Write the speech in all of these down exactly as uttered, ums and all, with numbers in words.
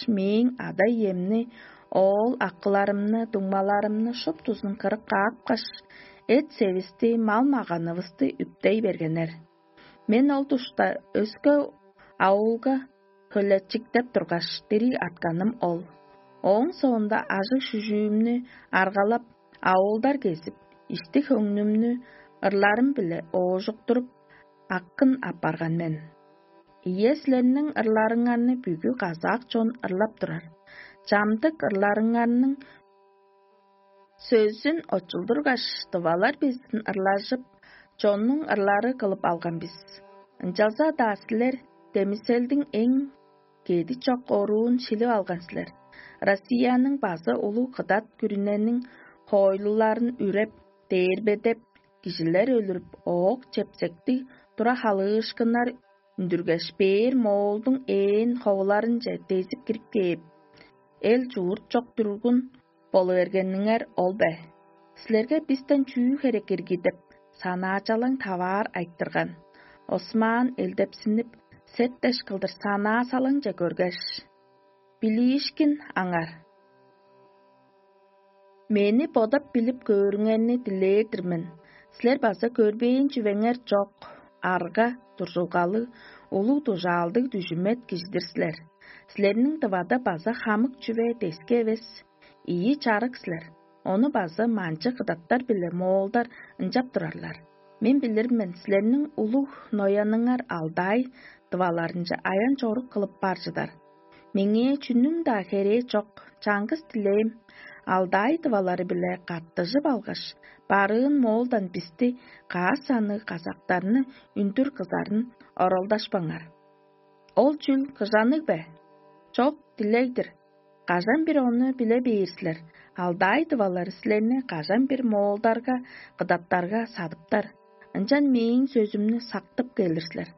мээң ада-иемни, оол-акыларымны, дуңмаларымны шуптузун кырып каапкаш, эт-севисти, мал-маганывысты үптей бергеннер. Мен ол душта өске аулга хөлечиктеп тургаш, дириг артканым ол. Ооң соонда ажыг-шүжүүмнү аргалап, аулдар кезип, ишти-хөңнүмнү ырларым-биле оожуктуруп, аккын апарган мен. Ийе, силерниң ырларыңарны бүгү казак чон ырлап турар. Чамдык ырларыңарның сөзүн очулдургаш, тывалар безин ырлажып, чоннуң ырлары кылып алган бис. Ынчалза-даа силер демиселдиң эң кеди чок оруун шилип алган силер. Россияның база улуг кыдат күрүнениң хоойлуларын үреп, дээрбедеп, кижилер өлүрүп, оок чепсектиг тура халыышкыннар үндүргеш, бээр моолдуң ээн ховуларынче дезип кирип кээп, эл чуурт чок дүргүн болу бергениңер ол бе? Силерге бистен чүү херек ирги деп, санаачалаң таваар айтырган. Осмаан элдепсинип, септеш кылдыр санаа салаңче көргеш: «Билиишкин аңар. Мени бодап билип көөрүңерни дилээр-дир мен. Силер база көрбээн чүвеңер чок, арга, дуржулгалыг, улуг дужаалдыг дүжүмет кижи-дир силер. Силерниң дывада база хамык чүве дески эвес, ийи чарык силер. Ону база манчы кыдаттар биле моолдар ынчап турарлар. Мен билир мен, силерниң улуг нояныңар алдаай дываларынче аян-чорук кылып бар чыдар. Меңээ чүнүң-даа херээ чок, чаңгыс дилээм, алдаай дывалары-биле каттыжып алгаш, барыын моолдан бисти, каас санныг казактарны үндүр кызарын оралдашпаңар. Ол чүл кыжанныг бе? Чок, дилег-дир. Кажан-бир ону биле бээр силер, алдаай дывалары силерни кажан-бир моолдарга, кыдаттарга садыптар. Ынчан мээң сөзүмнү сактып келир силер.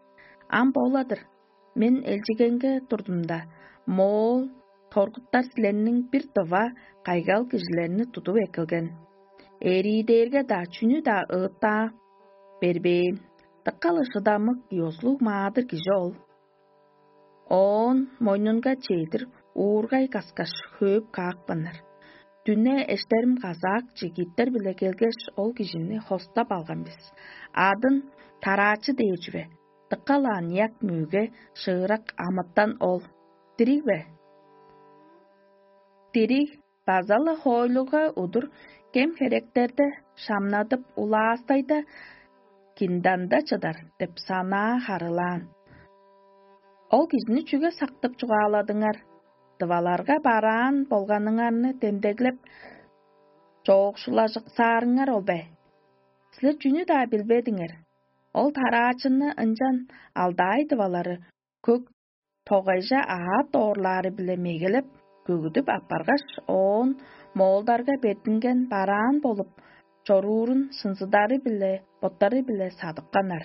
Ам бола-дыр, мен элчигеңге турдумда, моол торгуттар силерниң бир дыва кайгал кижилерни тудуп эккелген. Эриидээрге-даа, чүнү-даа ыыттаа бербээн, дыка-ла шыдамык, ёзулуг маадыр кижи ол. Оон мойнунга чедир уургай каскаш, хөөп каапканнар. Дүне эштерим казаак чигиттер-биле келгеш, ол кижини хостап алган бис. Адын тараачы дээр чүве. Дыка-ла аныяк, мөге, шыырак амытан ол. Дириг бе? Дириг, база-ла хоойлуга удур кем-херектерде шамнадып, улаастайда кинданда чыдар деп санаа харыылаан. Ол кижини чүге сактып чугааладыңар? Дываларга бараан болганыңарны демдеглеп, чоокшулажыксаарыңар ол бе? Силер чүнү-даа билбедиңер. Ол тараачыны ынчан алдаай дывалары көк тогайже аът доорлаары-биле мегелеп, көгүдүп аппаргаш, оон моолдарга бертинген бараан болуп чоруурун шынзыдары-биле, боттары-биле садыпканнар.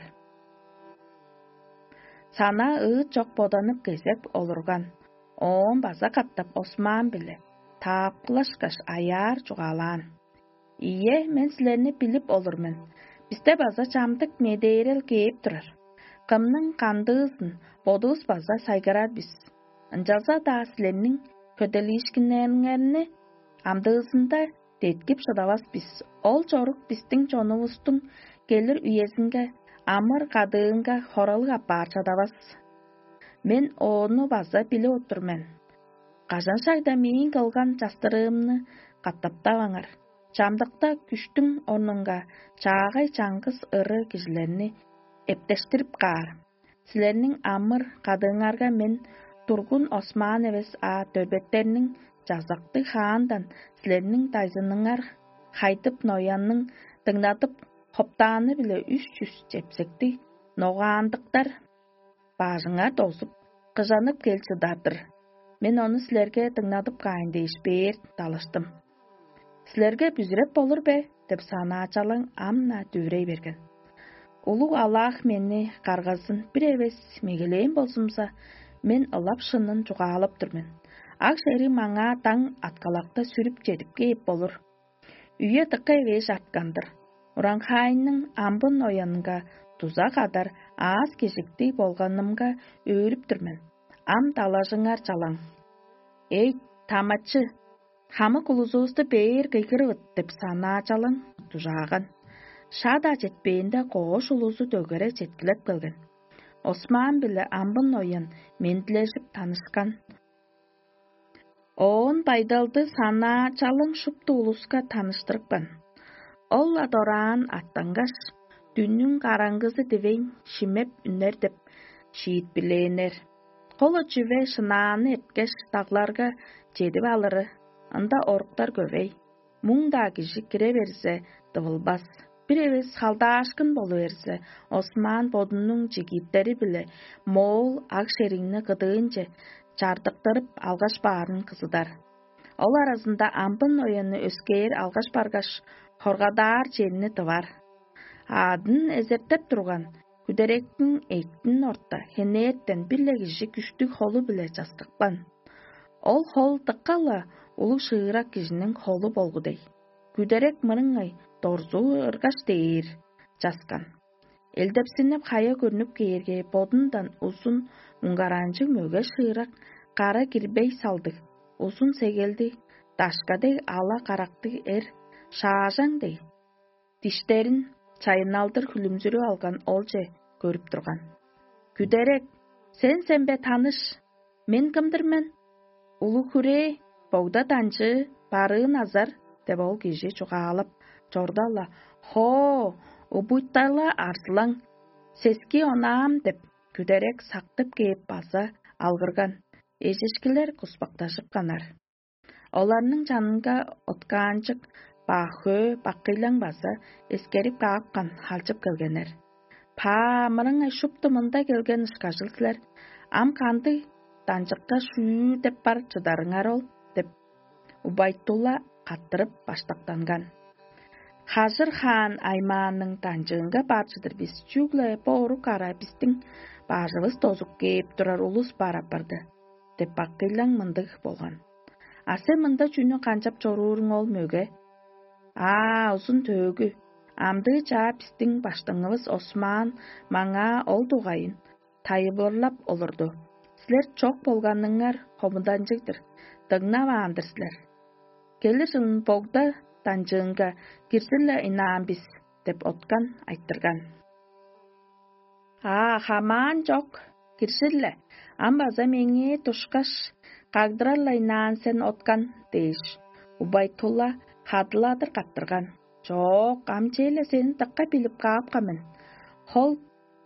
Санаа ыыт чок боданып кезек олурган, оон база катап Осман-биле таапкылашкаш, аяар чугаалаан: «Ийе, мен силерни билип олур мен. Бисте база чамдык медээрел кээп турар. Кымның кандыызын бодувус база сайгарар бис. Ынчалза-даа силерниң хөделиишкиннериңерни амдыызында деткип шыдавас бис. Ол чорук бистиң чонувустуң келир үезинге, амыр-кадыынга хоралыг апаар чадавас. Мен ону база билип отур мен. Кажан-шагда мээң кылган частырыымны катаптаваңар. Чамдыкта күштүң орнунга чаагай чаңгыс ыры кижилерни эптештирип каар. Силерниң амыр-кадыыңарга мен тургун Осман эвес, а дөрбеттерниң чазактыг хаандан силерниң дайзыныңар хайдып ноянның дыңнадып хоптааны-биле үш чүс чепсектиг ногаандыктар бажыңар дозуп, кыжанып кел чыдар-дыр. Мен ону силерге дыңнадып каайн дээш, бээр далыштым. Силерге бүзүреп болур бе?» — деп санаачалаң ам-на дүвүрей берген. Улуг алаах мени каргазын бир эвес мегелээн болзумза, мен ылап шынын чугаалап тур мен. Ак шериг маңаа даң аткалакта сүрүп чедип кээп болур. Үе дыка эвээш арткан-дыр. Ураңхаайның амбын оянынга дуза кадар аас-кежиктиг болганымга өөрүп тур мен. Ам далажыңар чалаң. «Эй, тамачы, хамык улузувусту бээр кыйгырывыт» — деп санаачалаң дужааган. Шаа-даа четпээнде, коош улузу дөгере четкилеп келген. Осмаан биле амбын оян мендилежип танышкан. Оон байдалды санаачалаң шупту улуска таныштырыпкан. Ол-ла дораан аттангаш, дүннүң караңгызы дивейн шимеп үнер деп шиитпирлээннер. Холо чүве шынааны эрткеш, дагларга чедип алыры, ында оруктар көвей. Муң-даа кижи кире берзе, дывылбас. Бир эвес халдаашкын болу берзе, Осман бодунуң чигиттери-биле моол аг шериңни кыдыынче чардыктырып алгаш баарын кызыдар. Ол аразында амбын оянны өскээр алгаш баргаш, хоргадаар черни тывар. Аадын эзертеп турган, күдеректиң эъттин орта хенээттен бир-ле кижи күштүг холу-биле часкыкпан. Ол хол дыка-ла улуг шыырак кижиниң холу болгу дег. Күдерек мырыңай дорзуу ыргаш дээр часкан. Элдепсинип, хая көрнүп кээрге, бодундан узун муңгаранчыг мөге шыырак, кара кирбей салдыг, узун сегелди, дашка дег ала карактыг эр, шаажаң дег, диштерин чайынналдыр хүлүмзүрүп алган олче көрүп турган. «Күдерек, сен сен бе, таныш? Мен кымдыр мен? Улуг хүрээ, богда данчыы, барыын азар» — деп ол кижи чугаалап чорда-ла: «Хоо, убуйтала арзылаң, сески онаам» — деп, күдерек сактып кээп база алгырган. Эжишкилер куспактажып канар. Оларның чанынга откаанчык Баахөө бакыйлаң база эскерип каапкан, халчып келгеннер. «Паа, мырыңай шупту мында келген ышкажыл силер. Ам кандыг данчыкка шүүр деп бар чыдарыңар ол?» — деп, Убайтула каттырып баштактанган. «Хажыр хаан аймааның данчыынга бар чыдыр бис, чүгле бо орук ара бистиң бажывыс дозуп кээп турар улус бар апарды» — деп, бакыйлаң мындыг болган. «А сен мында чүнү канчап чорууруң ол, мөге?» «Аа, узун төөгү, амдыы чаа бистиң баштыңывыс Осмаан маңаа ол дугайын тайылбырлап олурду: „Силер чок болганыңар хомуданчыг-дыр, дыңнаваан-дыр силер. Келир чылын богда данчыынга кирзир-ле ынаан бис“ — деп откан айтырган. «Аа, хамаан чок, киржир-ле, ам база меңээ душкаш, кагдырар-ла ынаан сен, откан» — дээш, Убайтула хадыладыр каттырган. «Чок, ам черле сени дыка билип каапкан мен, хол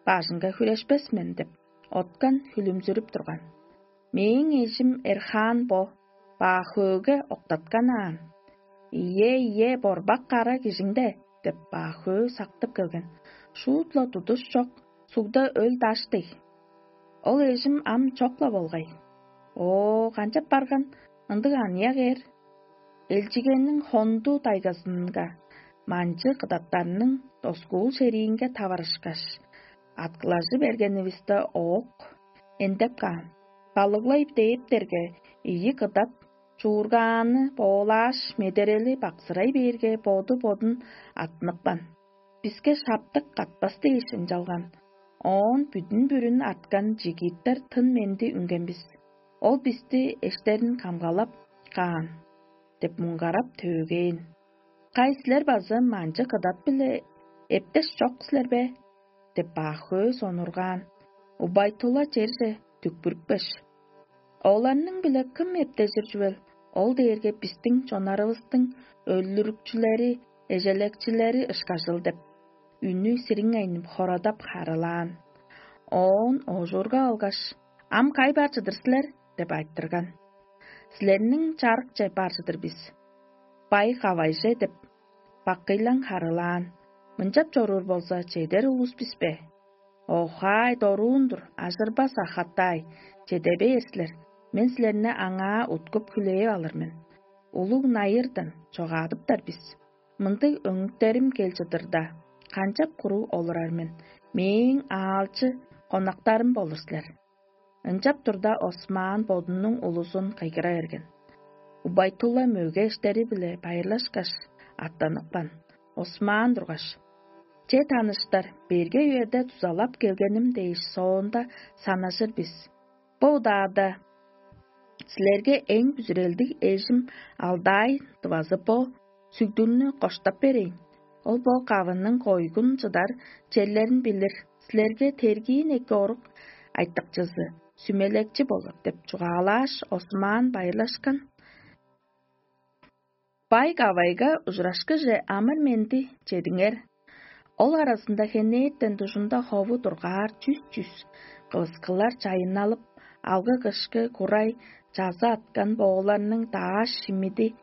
бажынга хүрешпес мен» — деп, откан хүлүмзүрүп турган. «Мээң эжим Эрхан бо, Баахөөгө октаткан аан». «Ийе, ийе, борбак кара кижиңде» — деп, Баахөө сактып келген. «Шуут-ла тудуш чок, сугда өл даш дег. Ол эжим ам чок-ла болгай». «Оо, канчап барган ындыг аныяк эр?» «Элчигенниң хонду тайгазынга манчы кыдаттарның доскуул шериинге таварышкаш, аткылажы бергенивисте, оок эндеп каан. Балыглай дээптерге, ийи кыдат чуургааны боолааш, медерели баксырай бээрге, боду-бодун аттынып каан. Биске шаптык катпас дээш ынчалган. Оон бүдүн-бүрүн арткан чигиттер тын-менди үнген бис. Ол бисти эштерин камгалап каан» — деп муңгарап төөгээн. «Кай, силер база манчы кыдат-биле эптеш чок силер бе?» — деп, Баахөө сонургаан. Убайтула черже дүкпүрүпкеш: «Оларның-биле кым эптежир чүвел? Ол дээрге бистиң чоннарывыстың өлүрүкчүлери, эжелекчилери ышкажыл» — деп, үнү сириңейнип, хорадап харыылаан. Оон оожуурга алгаш: «Ам кай бар чыдыр силер?» — деп айтырган. «Силерниң чарыкче бар чыдыр бис, бай-кавайже» — деп, бакыйлаң харыылаан. «Мынчап чоруур болза, чедер улус бис бе?» «Охай, доруун-дур, ажырбас ахаттай, чеде бээр силер. Мен силерни аңаа уткуп хүлээп алыр мен. Улуг найырдан чогаадыптар бис. Мындыг өңүктерим кел чыдырда, канчап куруг олурар мен? Мээң аалчы конактарым болур силер». Ынчап турда, Осмаан бодунуң улузун кыйгыра берген. Убайтула мөге эштери-биле байырлашкаш, аттаныпкан. Осмаан тургаш: «Че, таныштар, берге үеде дузалап келгеним дээш соонда санажыр бис. Бо удаада Силерге эң бүзүрелдиг эжим алдаай дывазы бо сүгдүрнү коштап берейн. Ол бо кавының койгун чыдар черлерин билир. Силерге тергиин эки орук айтыкчызы, сүмелекчи болур деп чугаалааш, Осман байырлашкан. Бай кавайга ужурашкыже амыр-менди чедиңер. Ол аразында хенээттен дужунда хову дургаар чүс-чүс кывыскылар чайынналып, алгы-кышкы курай чазы аткан бооларның дааш шимиди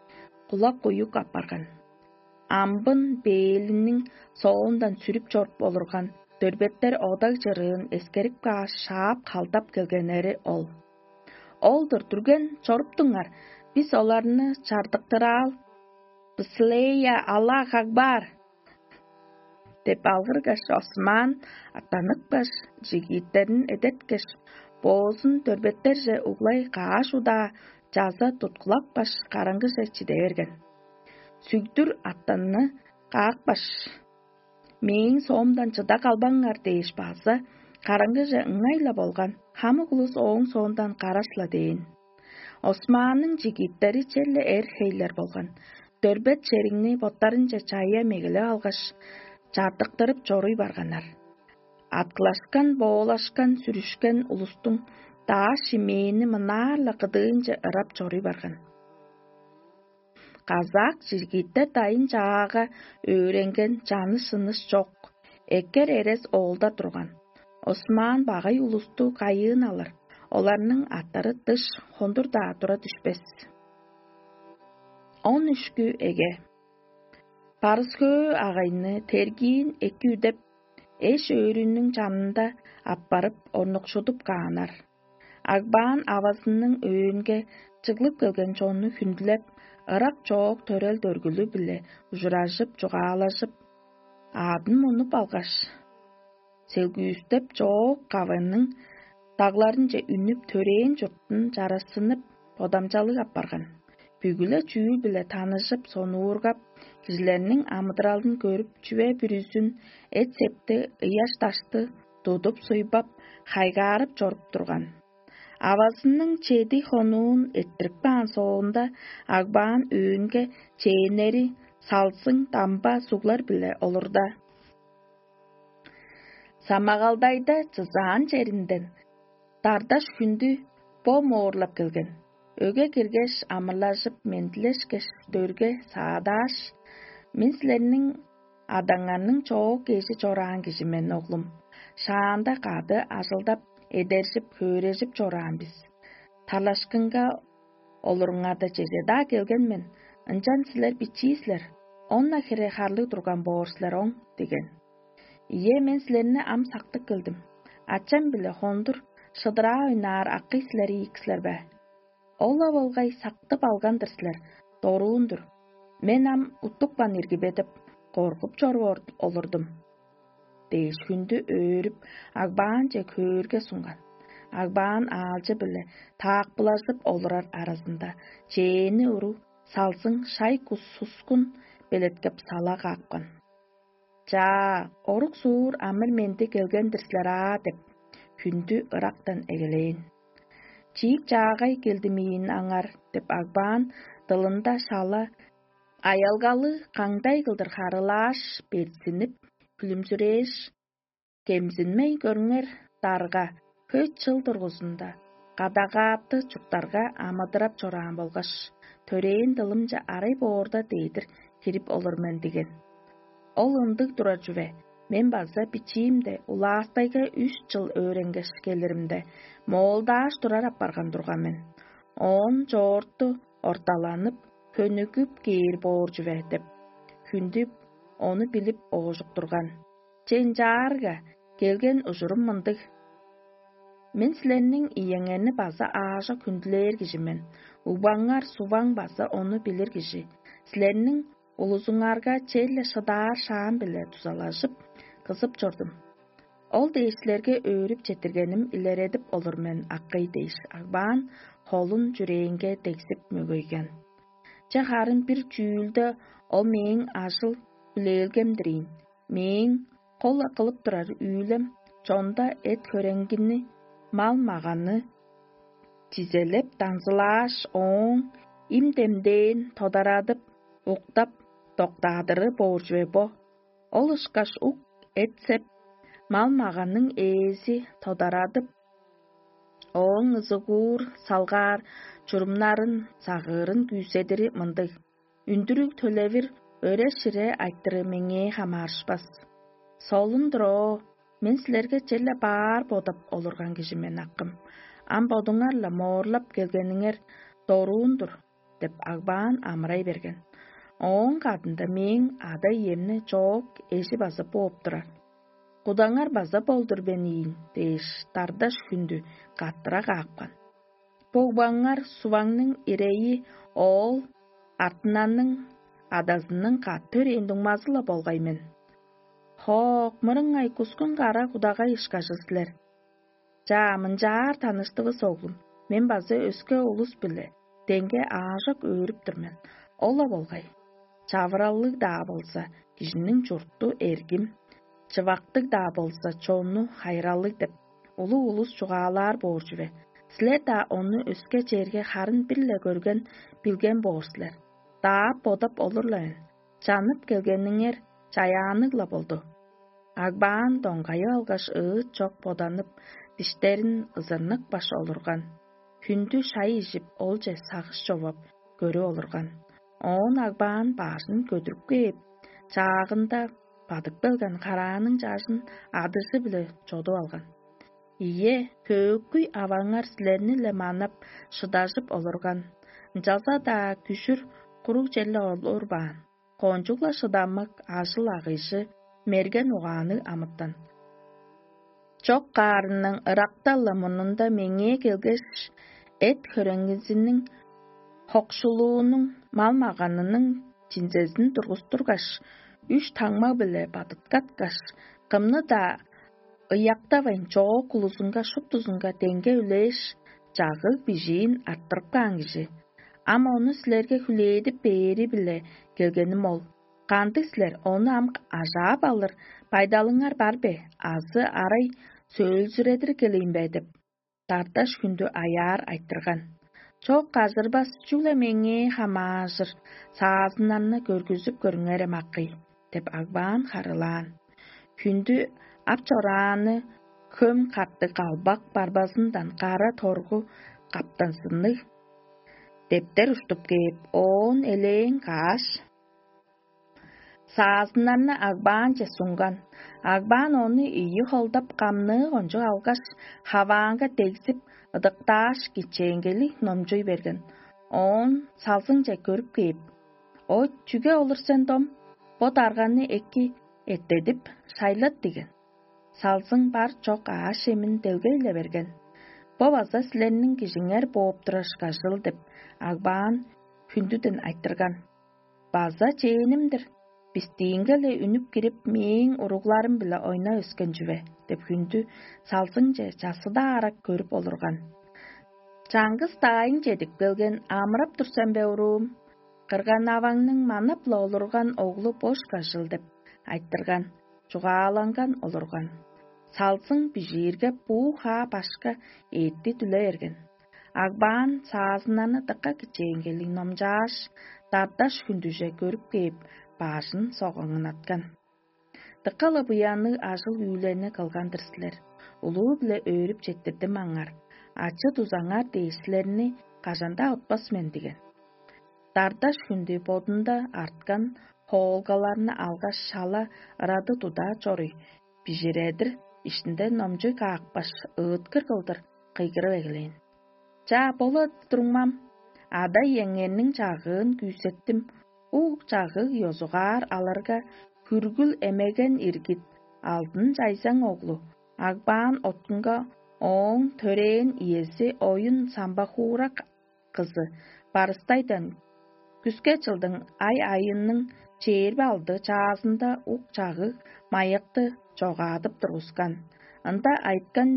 кулак-куюк апарган. Амбын бээлиниң соондан сүрүп чоруп олурган дөрбеттер одаг чырыын эскерип кааш, шаап халдап келгеннери ол. Ол-дур, дүрген чоруптуңар, бис оларны чардыктыраал. Быслея Аллах Акбар! Деп алгыргаш, Осман аттаныпкаш, жигиттерин эдерткеш, боозун дөрбеттерже углай кааш удаа чаза туткулапкаш, караңгыже чиде берген. Сүгдүр аттанны каапкаш, мээң соомдан чыда калбаңар дээш база, караңгыже ыңай-ла болган, хамык улус ооң соондан караш-ла дээн. Османның жигиттери черле эр-хейлер болган, дөрбет чериңни боттарынче чая мегелеп алгаш, чардыктырып чоруй барганнар. Аткылашкан, боолашкан, сүрүшкен улустуң дааш шимээни мынаар-ла кыдыынче ырап чоруй барган. Казак жигиттер дайын чаага өөренген, чаныш-шыныш чок, эккер эрес оолда турган. Осман багай улусту кайыын алыр, оларның аттары дыш хондур-даа тура дүшпес. Он үшкү эге. Барыс-хөө агайны тергиин эки үдеп, эш-өөрүнүң чанында аппарып, орнукшудуп кааннар. Агбаан авазының өөнге чыглып келген чонну хүндүлеп, ырак чоок төрел-дөргүлү-биле ужуражып, чугаалажып, аъдын мунуп алгаш, селгүүстеп, чоок кавының дагларынче үнүп, төрээн чуртун чарашсынып, бодамчалыг апарган. Бүгү-ле чүүл-биле таныжып, сонуургап, кижилерниң амыдыралын көрүп, чүве бүрүзүн, эт-септи, ыяш-дашты тудуп-суйбап, хайгаарып чоруп турган. Авазының чеди хонуун эрттирип каан соонда, Агбаан өөнге чээннери салзың, дамба суглар-биле олурда. Самагалдайда чызаан черинден дардаш хүндү бо моорлап келген. Өге киргеш, амырлажып, мендилешкеш, дөрге саадааш: «Мен силерниң адаңарның чоок эжи чораан кижи мен, оглум. Шаанда кады ажылдап, эдержип, хөөрежип чораан бис. Тарлашкынга олуруңарда чеже-даа келген мен, ынчан силер бичии силер, он-на хире харлыг турган боор силер оң» — диген. «Ийе, мен силерни ам сактып келдим. Ачам-биле хондур шыдыраа ойнаар акый силер ийик силер бе? Ол-ла болгай сактып алган-дыр силер, доруун-дур. Мен ам уттупкан ирги бе деп, коргуп чоруп олурдум» — дээш, хүндү өөрүп, Агбаанче көөрге сунган. Агбаан аалчы-биле таакпылажып олурар аразында, чээни уру салзың шай-кус сускун белеткеп сала каапкан. «Чаа, орук-суур амыр-менди келген-дир силер аа» — деп, хүндү ырактан эгелээн. «Чиик чаагай келдим ийин аңар» — деп, Агбаан дылында шала аялгалы каңдай кылдыр харыылааш, берзинип, күлүмзүрээш: «Кемзинмейн көрүңер, дарга, хөй чыл дургузунда кадагааты чурттарга амыдырап чораан болгаш, төрээн дылымче арай боорда дедир кирип олур мен» — диген. «Ол ындыг турар чүве, мен база бичиимде улаастайга үш чыл өөренгеш келиримде, моолдааш турар апарган турган мен. Оон чоорту орталанып, хөнүгүп кээр боор чүве» — деп, хүндү ону билип оожуктурган. «Че, ынчаарга келген ужурум мындыг: мен силерниң иеңерни база аажок хүндүлээр кижи мен, угбаңар Суваң база ону билир кижи. Силерниң улузуңарга черле шыдаар шаам-биле дузалажып, кызып чордум. Ол дээш силерге өөрүп четтиргеним илередип олур мен, акый» — дээш, Агбаан холун чүрээнге дегзип мөгейген. «Че, харын бир чүүлде ол мээң ажыл-хүлээлгем-дир ийин. Мээң кол кылып турар үүлем чонда эт-хөреңгини, мал-маганны чизелеп, даңзылааш, ооң им-демдээн тодарадып, уктап, доктаадыры боор чүве бо. Ол ышкаш ук эт-сеп, мал-маганның ээзи тодарадып, ооң ызыгуур салгаар чурумнарын сагыырын күүседири мындыг: үндүрүг төлевир өре-шире айтыры меңээ хамаарышпас. Солун-дур оо, мен силерге черле баар бодап олурган кижи мен, акым. Ам бодуңар-ла моорлап келгениңер доруун-дур деп, Агбаан амырай берген. Ооң кадында мээң ада-иемни чоок эжи база бооп турар. Кудаңар база болдур бен ийин дээш, дардаш хүндү каттыра каапкан. Богбаңар суваңның ирейи оол артынанның адазының кат төрээн дуңмазы-ла болгай мен. Хоок, мырыңай кускун кара кудагай ышкажы силер. Чаа, мынчаар таныштывыс, оглум. Мен база өске улус-биле деңге аажок өөрүп тур мен. Ол-ла болгай. Чавыраллыг-даа болза, кижиниң чурту эргим, чывактыг-даа болза, чонну хайыралыг деп, улуг улус чугаалаар боор чүве. Силер-даа ону өске черге харын бир-ле көрген, билген боор силер. Даап бодап олур-ла мен. Чанып келгениңер чаяанныг-ла болду. Агбаан доңгайып алгаш, ыыт чок боданып, диштерин ызырныкпаш олурган. Хүндү шай ижип, олче сагыш човап, көрүп олурган. Оон Агбаан бажын көдүрүп кээп, чаагында бадып келген карааның чажын адыжы-биле чодуп алган. Ийе, хөөкүй аваңар силерни-ле манап, шыдажып олурган. Ынчалза-даа күжүр куруг черле олурбаан. Кончуг-ла шыдамык, ажыл-агыйжы, мерген угаанныг амытан. Чок каарының ыракта-ла мурнунда меңээ келгеш, эт-хөреңгизиниң, хокшулуунуң, мал-маганының чинзезин тургустургаш, үш таңма-биле бадыткаткаш, кымны-даа ыяктавайн, чоок улузунга шуптузунга деңге үлээш, чагыг-бижиин арттырып каан кижи. Ам ону силерге хүлээдип бээри-биле келгеним ол. Кандыг силер, ону ам ажаап алыр байдалыңар бар бе, азы арай сөөлзүредир келейн бе деп, дарташ хүндү аяар айтырган. Чок, ажырбас, чүгле меңээ хамааржыр саазыннарны көргүзүп көрүңерем, акый деп, Агбаан харыылаан. Хүндү ап чорааны хөм каттыг калбак барбазындан кара торгу каптанзынныг дептер уштуп кээп, оон элээн кааш, саазыннарны Агбаанче сунган. Агбаан ону ийи холдап, камныы кончуг алгаш, хаваанга дегзип, ыдыктааш, кичээнгейлиг номчуй берген. Оон салзыңче көрүп кээп: «О, чүге олур сен, дом? Бо дарганы эки эттедип, шайлат» — диген. Салзың бар-чок аъш-чемин делгей-ле берген. «Бо база силерниң кижиңер бооп турар ышкажыл» — деп, Агбаан хүндүден айтырган. «База чээним-дир, бистиинге-ле үнүп кирип, мээң уругларым-биле ойнап өскен чүве» — деп, хүндү салзыңче часкыдаарак көрүп олурган. «Чаңгыс даайың чедип келген, амырап тур сен бе, уруум? Кырган-аваңның манап-ла олурган оглу бо ышкажыл» — деп айтырган, чугааланган олурган. Салзың бижиирге, буу-хаа башка эътти дүле берген. Агбаан саазыннарны дыка кичээнгейлиг номчааш, дарташ хүндүже көрүп кээп, бажын согаңнаткан. «Дыка-ла буянныг ажыл-үүлени кылган-дыр силер, улуу-биле өөрүп четтирдим аңар. Ачы-дузаңар дээш силерни кажан-даа утпас мен» — диген. Дардаш хүндү бодунда арткан хоолгаларны алгаш, шала ырады тудаа чоруй, бижиредир иштинде номчуй каапкаш, ыыткыр кылдыр кыйгырып эгелээн: «Чаа, болу-дур, дуңмам. Ада-иеңерниң чагыын күүсеттим. Ук чагыг ёзугаар аларга, хүргүл эмеген иргит, алдын чайзаң оглу, Агбаан Оттунга ооң төрээн иези оюн самбахуурак кызы Барыстайдан күске чылдың ай-айының чээрби алды чаазында ук чагыг майыкты чогаадып тургускан. Ында айыткан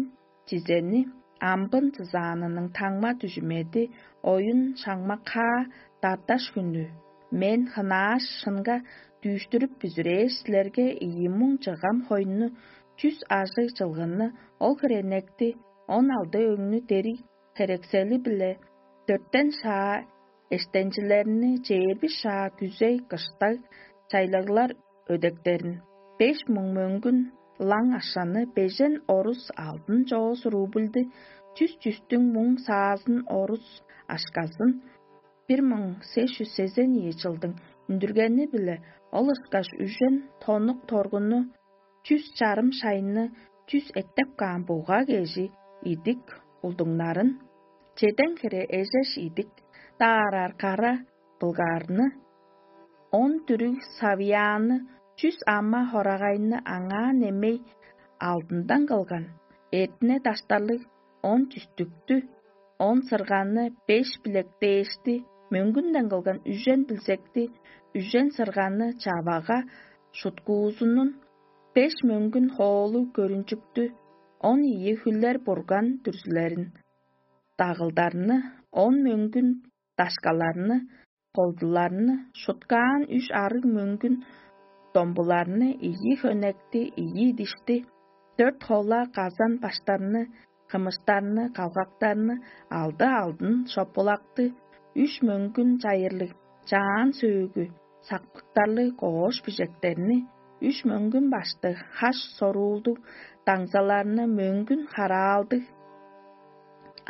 чизени амбын чызаанының таңма дүжүмеди оюн шаңмак-хаа дарташ хүнү. Мен хынааш шынга дүүштүрүп бүзүрээш, силерге ийи муң чыгам хойну, чүс ажыг чылгынны, ол херенекти, он алды өңнү дериг херексели-биле дөртен шаа эштенчилерни, чээрби шаа күзей-кыштаг чайлаглар өдектерин, беш муң мөңгүн лаң ашаны, бежен орус алдын чоос рубльди, чүс чүстүң муң саазын орус ашказын, бир муң сес чүс сезен ийи чылдың үндүргени-биле ол ышкаш үжен тоннук торгунну, чүс чарым шайны, чүс эттеп каан буга кежи идик улдуңнарын, чеден хире эжеш идик даараар кара былгаарны, он дүрүг савыяанны, чүс ама хорагайны аңаа немей алдындан кылган, эртине даштарлыг он чүстүктү, он сырганны, беш билек дээшти, мөңгүнден кылган үжен билзекти, үжен сырганны чавага шуткуузунун, беш мөңгүн хоолу көрүнчүктү, он ийи хүлер бурган дүрзүлерин, дагылдарны, он мөңгүн дашкаларны, колдуларны, шуткаан үш арыг мөңгүн домбуларны, ийи хөнекти, ийи дишти, дөрт хола казан баштарны, кымыштарны, калгактарны, алды алдын шопулакты, үш мөңгүн чайырлыг чаан сөөгү, сактыктарлыг коош бижектерни, үш мөңгүн баштыг хаш соруулдуг даңзаларны, мөңгүн хараалдыг,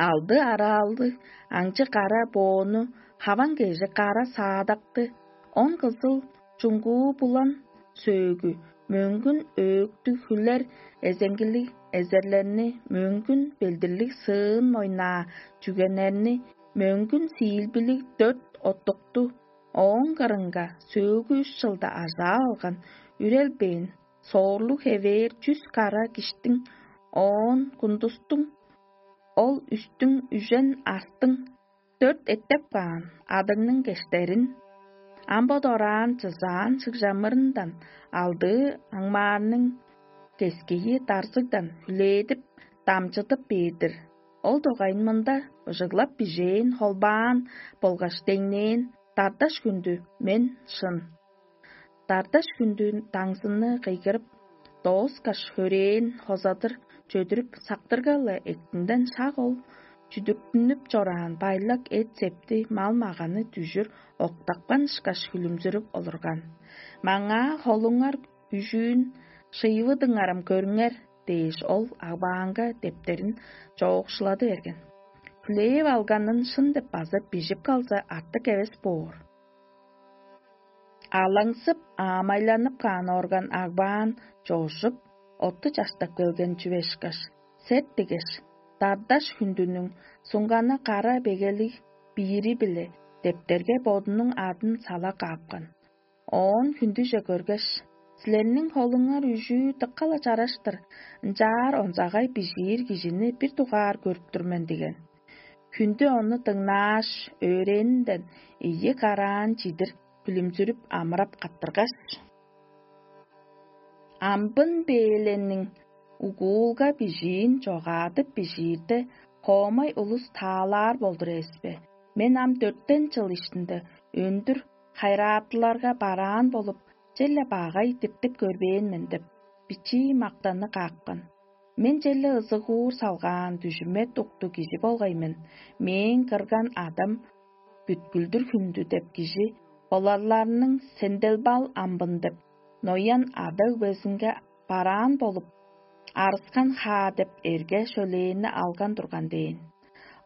алды араалдыг аңчы кара боону, хаван кежи кара саадакты, он кызыл чуңгуу булан сөөгү, мөңгүн өөктүг хүлер эзеңгилиг эзерлерни, мөңгүн белдирлиг сыын мойнаа чүгенерни, мөңгүн сиилбилиг дөрт оттукту, ооң кырынга сөөлгү үш чылда ажаап алган, үрелбээн, соорлуг хевээр чүс кара киштиң, оон кундустуң, ол үстүң үжен астың, дөрт эттеп каан адыгның кештерин, ам бо дораан чызаан шыгжамырындан алдыы аңмаарның кескейи дарзыгдан хүлээдип, дамчыдып бээр-дир. Ол дугайын мында быжыглап бижээн, холбаан болгаш деңнээн дардаш хүндү мен шын. Дардаш хүндү даңзыны кыйгырып, дооскаш хөрээн хозадыр чөдүрүп сактырга-ла, эктинден шак ол чүдүктүнүп чораан байлак эт-септи, мал-маганы дүжүр октапкан ышкаш хүлүмзүрүп олурган. Маңаа холуңар үжүүн шыйывыдыңарым көрүңер дээш, ол агбаанга дептерин чоокшулады берген. Хүлээп алганын шын деп база бижип калза, артык эвес боор. Алаңсып, аамайланып каан орган агбаан чоожуп, отту чаштап келген чүве ышкаш, сет дигеш, дардаш хүндүнүң суңганы кара бегелиг биири-биле дептерге бодунуң адын сала каапкан. Оон хүндүже көргеш: «Силерниң холуңар үжүү дыка-ла чараш-тыр, ынчаар онзагай бижиир кижини бир дугаар көрүп тур мен» – диген. Хүндү ону дыңнааш, өөрээнинден ийи караан чидир хүлүмзүрүп амырап каттыргаш: «Амбын бээленниң угуулга бижиин чогаадып бижиирде, коомай улус таалаар болдур эвес бе? Мен ам дөртен чыл иштинде өндүр хайыраатыларга бараан болуп, черле багай диптип көрбээн мен» – деп, бичии мактанны каапкан. Мен черле ызыгуур салгаан дүжүмет укту кижи болгай мен, мээң кырган адам бүткүлдүр хүндү деп кижи боларларның сенделбал амбын деп, ноян ада-өгбезинге бараан болуп, арыскан хаа деп эрге-шөлээни алган турган дээн.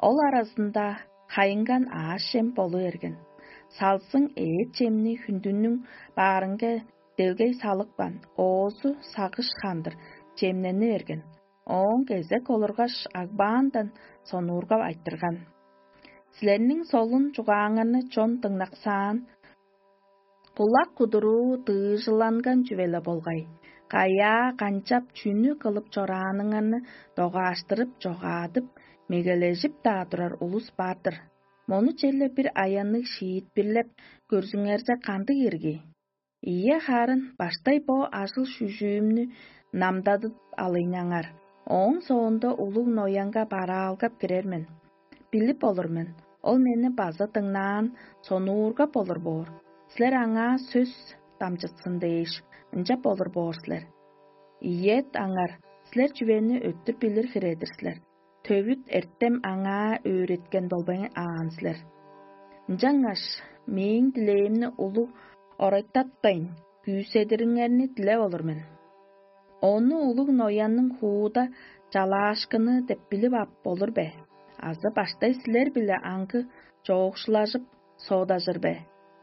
Ол аразында хайынган аъш-чем болу берген. Салзың эът-чемни хүндүнүң баарынга делгей салыпкан, оозу сагыш хандыр чемнени берген. Ооң кезек олургаш, агбаандан сонуургап айтырган: «Силерниң солун чугааңарны чон дыңнаксаан, кулак кудуруу дыыжыланган чүве-ле болгай. Каяа, канчап, чүнү кылып чорааныңарны догааштырып, чогаадып, мегележип-даа турар улус бар-дыр. Мону черле бир аянныг шиитпирлеп көрзүңерзе, кандыг ирги? Ийе, харын баштай бо ажыл-шүжүүмнү намдадып алыйнаңар. Ооң соонда улуг ноянга бараалгап кирер мен. Билип олур мен, ол мени база дыңнаан, сонуургап олур боор. Силер аңаа сөс дамчытсын дээш, ынчап олур боор силер. Ийет аңар, силер чүвени өттүр билир хире-дир силер. төвүт эртем аңаа өөреткен болбайн аан силер. Ынчангаш мээң дилээримни улуг орайтатпайн, күүседириңерни дилеп олур мен. Ону улуг ноянның хууда чалаашкыны деп билип ап болур бе? Азы баштай силер-биле аңгы чоокшулажып, соодажыр бе?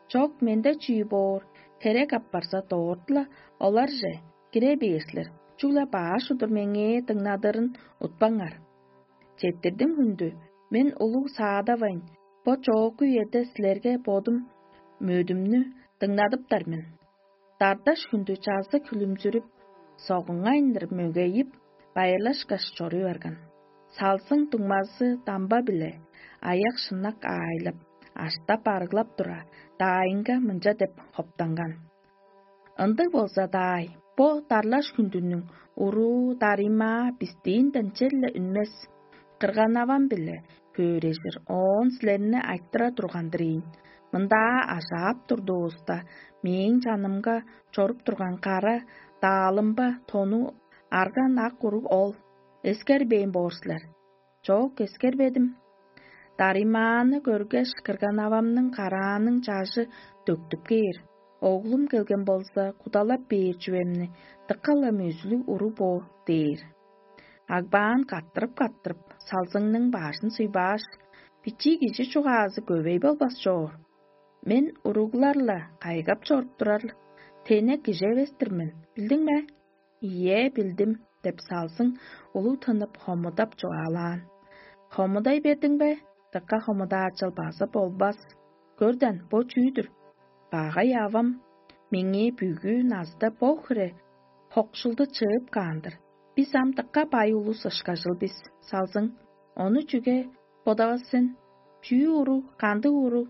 Чок, менде чүү боор, херек апарза, дорт-ла оларже кире бээр силер. Чүгле баш удур меңээ дыңнадырын утпаңар. Четтирдим хүндү, мен улуг саадавайн, бо чоокку үеде силерге бодум мөдүмнү дыңнадыптар мен. Дардаш хүндү чазы хүлүмзүрүп, согуңайындыр мөгейип, байырлашкаш чоруй барган. Салзың дуңмазы дамба-биле аяк-шыннак аайлап, аштап-арыглап тура, даайынга мынча деп хоптанган: «Ындыг болза, даай, бо дарлаш хүндүнүң уруу дарыймаа бистиинден черле үнмес. Кырган-авам-биле хөөрежир, оон силерни айтыра турган-дыр ийин. Мындаа ажаап турдувуста, мээң чанымга чоруп турган кара даалымба тону арган ак уруг ол. Эскербээн боор силер». Чоок, эскербедим. Дарыймааны көргеш, кырган-авамның карааның чажы дөктүп кээр. Оглум келген болза, кудалап бээр чүвемни дыка-ла мөзүлүг уру бо дээр. Агбаан каттырып-каттырып, салзыңның бажын суйбааш: «Бичии кижи чугаазы көвей болбас чоор. Мен уруглар-ла кайгап чоруп турар тенек кижи эвес-тир мен, билдиң бе?» «Ийе, билдим», — деп салзың улуг тынып, хомудап чугаалаан. «Хомудай бердиң бе? Дыка хомудаачыл база болбас. Көрден, бо чүү-дүр? Багай авам меңээ бүгү назда бо хире хокшулду чыып каан-дыр. Бис ам дыка бай улус ышкажыл бис, салзың. Ону чүге бодавас сен? Чүү уруг, кандыг уруг?»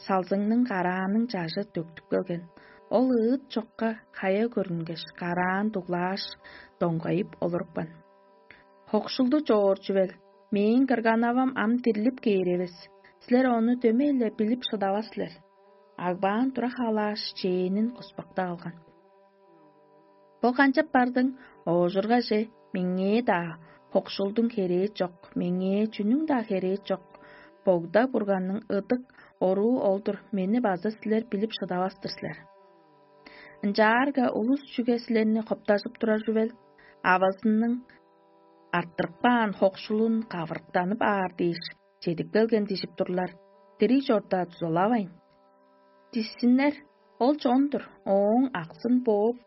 Салзыңның карааның чажы төктүп келген. Ол ыыт чокка хая көрүнгеш, караан дуглааш, доңгайып олурупкан. «Хокшулду чоор чүвел, мээң кырган-авам ам дирлип кээр эвес. Силер ону дөмей-ле билип шыдавас силер». Агбаан тура халааш, чээнин куспактап алган. «Бо канчап бардың? Оожургаже, меңээ-даа хокшулдуң херээ чок, меңээ чүнүң-даа херээ чок. Богда Бурганның ыдык оруу ол-дур, мени база силер билип шыдавас-тыр силер. Ынчаарга улус чүге силерни хоптажып турар чүвел? Авазының арттырып каан хокшулун кавырыктанып аар дээш, чедип келген дижип турлар. Дириг чорда дузалавайн, дисиннер, ол чон-дур, ооң аксын бооп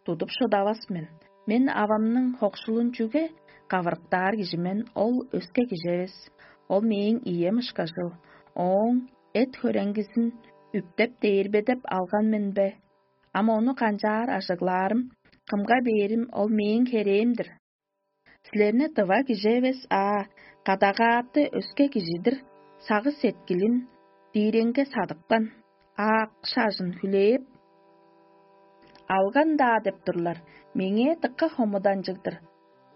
тудуп шыдавас мен. Мен авамның хокшулун чүге кавырыктаар кижи мен, ол өске кижи эвес. Ол мээң ием ышкажыл. Ооң эт-хөреңгизин үптеп дээрбедеп алган мен бе? Ам ону канчаар ажыглаарым, кымга бээрим, ол мээң херээм-дир. Силерни тыва кижи эвес, а кадагааты өске кижи-дир, сагыш-сеткилин дииреңге садыпкан, аак шажын хүлээп алган-даа деп турлар. Меңээ дыка хомуданчыг-дыр.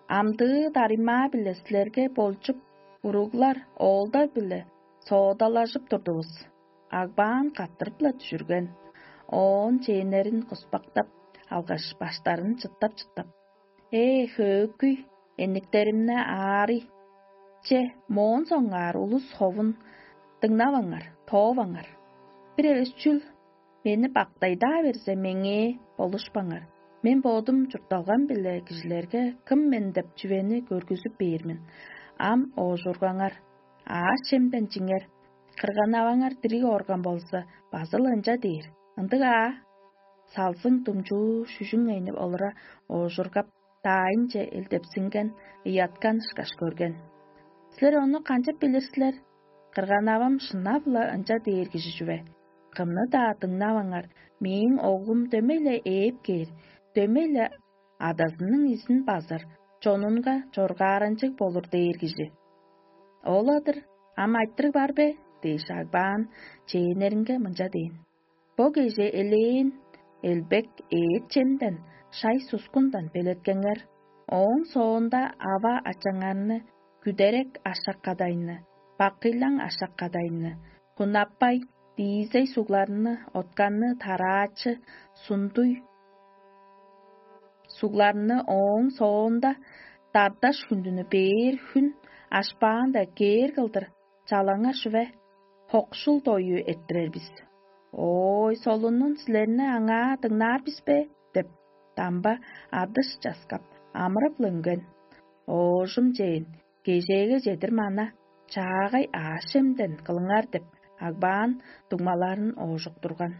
Амдыы дарыма-биле силерге болчуп, уруглар, оолдар-биле соодалажып турдувус». Агбаан каттырып-ла дүжүрген. Оон чээннерин куспактап алгаш, баштарын чыттап-чыттап: «Ээ, хөөкүй, эниктеримне аарый! Че, моон соңгаар улус ховун дыңнаваңар, тооваңар. Бир эвес чүл мени бактайдаа берзе, меңээ болушпаңар. Мен бодум чуртталгам-биле кижилерге кым мен деп чүвени көргүзүп бээр мен. Ам оожургаңар, аъш-чемден чиңер. Кырган-аваңар дириг орган болза, база-ла ынча дээр. Ындыг аа?» Салзың думчуу шүжүң энип олура оожургап, даайынче элдепсинген, ыяткан ышкаш көрген. «Силер ону канчап билир силер? Кырган-авам шынап-ла ынча дээр кижи чүве. Кымны-даа дыңнаваңар, мээң оглум дөмей-ле ээп кээр, дөмей-ле адазының изин базыр, чонунга чоргааранчыг болур дээр кижи. Ол-ла-дыр, ам айтырыг бар бе?» — дээш, Агбаан чээннеринге мынча дээн: «Бо кежээ элээн элбек ээт-чемден, шай-сускундан белеткеңер. Ооң соонда ава-ачаңарны, күдерек ашак-кадайны, бакыйлаң ашак-кадайны, кунаппай, диизей сугларны, отканны, тараачы, сундуй сугларны, ооң соонда дардаш хүндүнү бээр хүн Ашпаан-даа кээр кылдыр чалаңар шүве, хокшул дою эрттирер бис. Ой, солунун силерни аңаа дыңнаар бис бе? — деп, дамба адыш часкап, амырап-ла үнген. Оожум чейин, кежээге чедир мана, чаагай аъш-чемден кылыңар деп, агбаан дуңмаларын оожуктурган.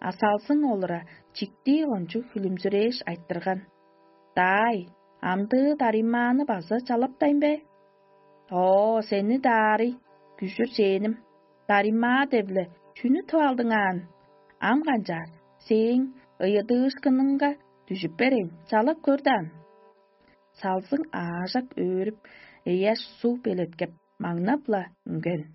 А салзың олура чиктии кончуг хүлүмзүрээш айтырган: «Даай, амдыы дарыймааны база чалаптайн бе?» «Оо, сени даарый, күжүр чээним, дарыймаа деп-ле чүнү тып алдың аан? Ам канчаар, сээң ыйыдыышкыныңга дүжүп берейн, чалап көр даан». Салзың аажак өөрүп, ыяш суг белеткеп, маңнап-ла үнген.